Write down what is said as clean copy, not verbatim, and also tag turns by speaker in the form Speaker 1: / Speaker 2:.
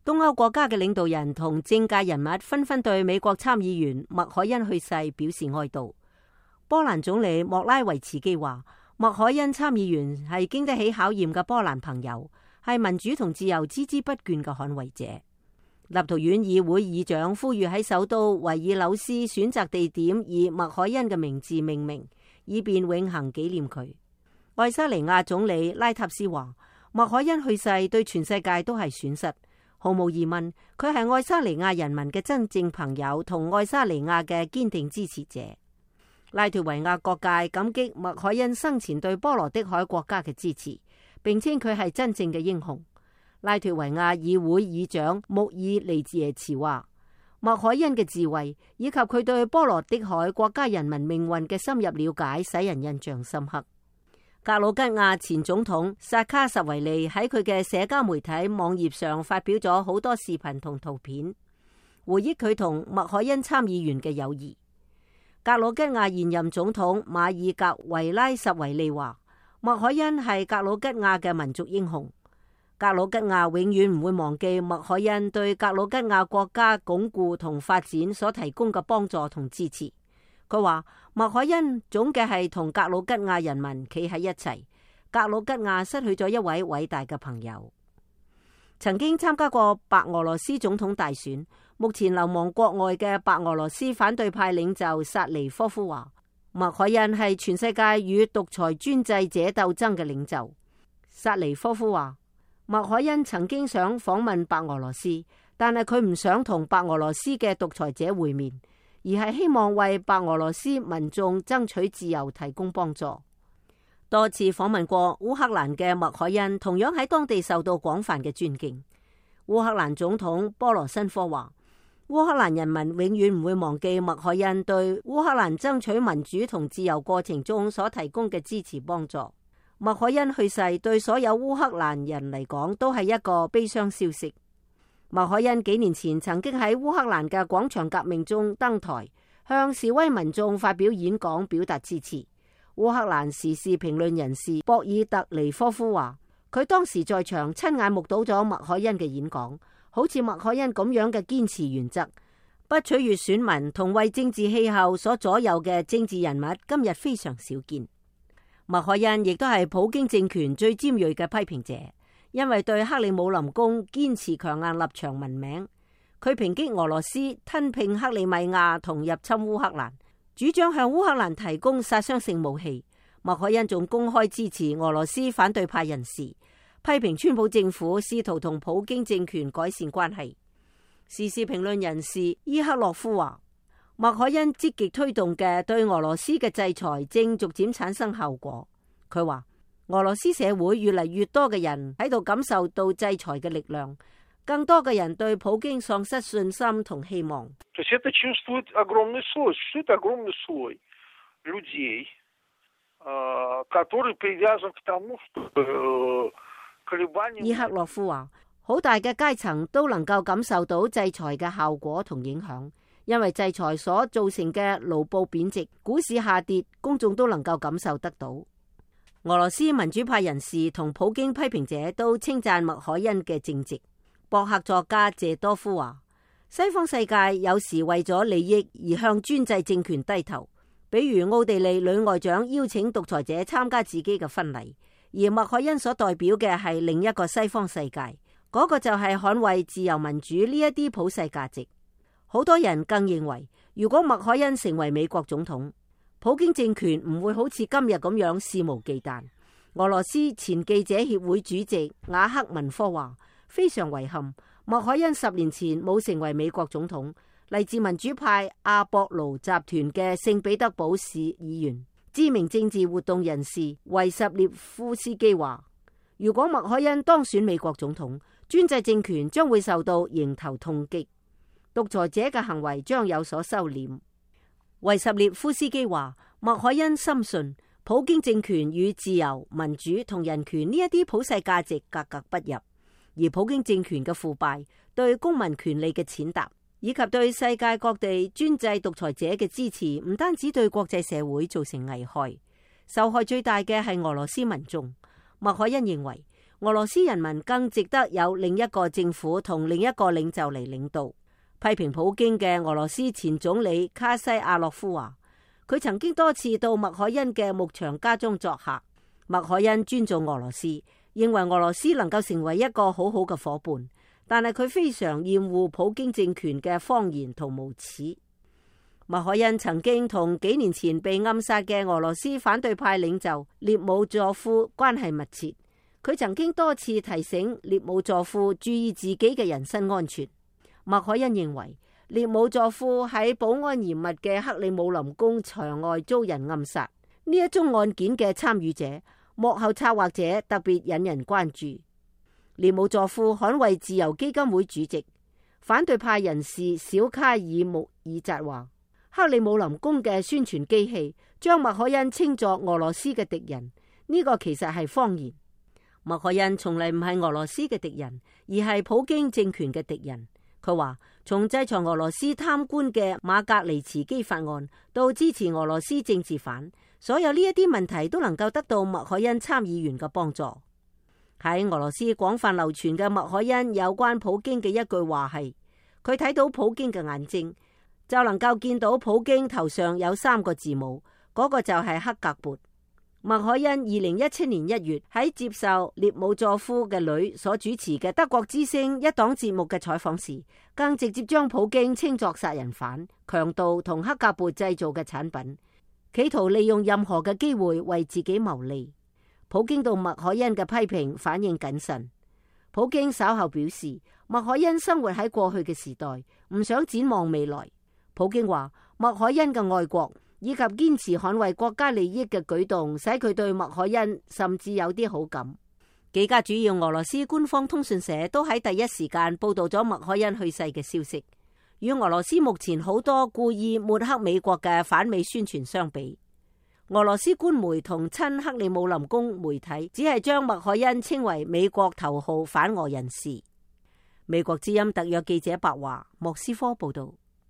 Speaker 1: 東歐國家嘅領導人同政界人物紛紛對美國參議員麥凱恩去世表示哀悼。波蘭總理莫拉維茨基話，麥凱恩參議員係經得起考驗嘅波蘭朋友，係民主同自由孜孜不倦嘅捍衛者。立陶宛議會議長呼籲喺首都維爾紐斯選擇地點以麥凱恩嘅名字命名，以便永恆紀念佢。愛沙尼亞總理拉塔斯話，麥凱恩去世對全世界都係損失。毫無疑問，佢係愛沙尼亞人民嘅真正朋友同愛沙尼亞嘅堅定支持者。拉脫維亞各界感激麥凱恩生前對波羅的海國家嘅支持，並稱佢係真正嘅英雄。拉脫維亞議會議長穆爾尼耶茨話，麥凱恩嘅智慧以及佢對波羅的海國家人民命運嘅深入了解，使人印象深刻。格魯吉亞前總統薩卡什維利喺佢嘅社交媒體網頁上發表咗好多視頻同圖片，回憶佢同麥凱恩參議員嘅友誼。格魯吉亞現任總統馬爾格維拉什維利話，麥凱恩係格魯吉亞嘅民族英雄。格魯吉亞永遠唔會忘記麥凱恩對格魯吉亞國家鞏固同發展所提供嘅幫助同支持。佢話麥凱恩總嘅係同格魯吉亞人民企喺一齊，格魯吉亞失去咗一位偉大嘅朋友。曾經參加過白俄羅斯總統大選，目前流亡國外嘅白俄羅斯反對派領袖薩尼科夫話，麥凱恩係全世界與獨裁專制者鬥爭嘅領袖。薩尼科夫話，麥凱恩曾經想訪問白俄羅斯，但係佢唔想同白俄羅斯嘅獨裁者會面，而係希望為白俄羅斯民眾爭取自由提供幫助。多次訪問過烏克蘭嘅麥凱恩同樣喺當地受到廣泛嘅尊敬。烏克蘭總統波羅申科話，烏克蘭人民永遠唔會忘記麥凱恩對烏克蘭爭取民主同自由過程中所提供嘅支持幫助。麥凱恩去世對所有烏克蘭人嚟講都係一個悲傷消息。麥凱恩幾年前曾經喺烏克蘭嘅廣場革命中登台，向示威民眾發表演講，表達支持。烏克蘭時事評論人士博爾特尼科夫話，佢當時在場親眼目睹咗麥凱恩嘅演講，好似麥凱恩咁樣嘅堅持原則，不取悅選民同為政治氣候所左右嘅政治人物，今日非常少見。麥凱恩亦都係普京政權最尖銳嘅批評者，因為對克里姆林宮堅持強硬立場聞名。佢抨擊俄羅斯吞併克里米亞同入侵烏克蘭，主張向烏克蘭提供殺傷性武器。麥凱恩仲公開支持俄羅斯反對派人士，批評川普政府試圖同普京政權改善關係。時事評論人士伊克洛夫話，麥凱恩積極推動嘅對俄羅斯嘅制裁正逐漸產生效果。佢話，俄羅斯社會越嚟越多嘅人喺度感受到制裁嘅力量，更多嘅人對普京喪失信心同希望。伊克洛夫話，好大嘅階層都能夠感受到制裁嘅效果同影響。因為制裁所造成嘅盧布貶值、股市下跌，公眾都能夠感受得到。俄羅斯民主派人士同普京批評者都稱讚麥凱恩嘅正直。博客作家謝多夫話，西方世界有時為咗利益而向專制政權低頭，比如奧地利女外長邀請獨裁者參加自己嘅婚禮，而麥凱恩所代表嘅係另一個西方世界，嗰個就係捍衛自由民主呢一啲普世價值。好多人更認為，如果麥凱恩成為美國總統，普京政權唔會好似今日咁樣肆無忌憚。俄羅斯前記者協會主席瓦克文科話，非常遺憾，麥凱恩10年前冇成為美國總統。嚟自民主派阿博盧集團嘅聖彼得堡市議員、知名政治活動人士維什列夫斯基話，如果麥凱恩當選美國總統，專制政權將會受到迎頭痛擊，獨裁者嘅行為將有所收斂。維什列夫斯基話，麥凱恩深信普京政權與自由、民主同人權呢一啲普世價值格格不入，而普京政權嘅腐敗、對公民權利嘅踐踏，以及對世界各地專制獨裁者嘅支持，唔單止對國際社會造成危害，受害最大嘅係俄羅斯民眾。麥凱恩認為，俄羅斯人民更值得有另一個政府同另一個領袖嚟領導。批評普京嘅俄羅斯前總理卡西亞諾夫話，佢曾經多次到麥凱恩嘅牧場家中作客。麥凱恩尊重俄羅斯，認為俄羅斯能夠成為一個好好嘅夥伴，但係佢非常厭惡普京政權嘅謊言同無恥。麥凱恩曾經同幾年前被暗殺嘅俄羅斯反對派領袖列姆佐夫關係密切，佢曾經多次提醒列姆佐夫注意自己嘅人身安全。麥凱恩認為列姆佐夫喺保安嚴密嘅克里姆林宮牆外遭人暗殺，呢一宗案件嘅參與者、幕後策劃者特別引人關注。列姆佐夫捍衛自由基金會主席、反對派人士小卡爾穆爾扎話，克里姆林宮嘅宣傳機器將麥凱恩稱作俄羅斯嘅敵人，呢個其實係謊言。麥凱恩從嚟唔係俄羅斯嘅敵人，而係普京政權嘅敵人。佢話，從制裁俄羅斯貪官嘅馬格尼茨基法案到支持俄羅斯政治犯，所有呢一啲問題都能夠得到麥凱恩參議員嘅幫助。喺俄羅斯廣泛流傳嘅麥凱恩有關普京嘅一句話係，佢睇到普京嘅眼睛，就能夠見到普京頭上有3個字母，嗰個就係克格勃。麥凱恩2017年1月喺接受列姆佐夫嘅女所主持嘅德國之聲一檔節目嘅採訪時，更直接將普京稱作殺人犯、強盜同克格勃製造嘅產品，企圖利用任何嘅機會為自己牟利。普京對麥凱恩嘅批評反應謹慎。普京稍後表示，麥凱恩生活喺過去嘅時代，唔想展望未來。普京話，麥凱恩嘅愛國以及堅持捍衛國家利益嘅舉動，使佢對麥凱恩甚至有啲好感。幾家主要俄羅斯官方通訊社都喺第一時間報道咗麥凱恩去世嘅消息。與俄羅斯目前好多故意抹黑美國嘅反美宣傳相比，俄羅斯官媒同親克里姆林宮媒體只係將麥凱恩稱為美國頭號反俄人士。美國之音特約記者白華莫斯科報道。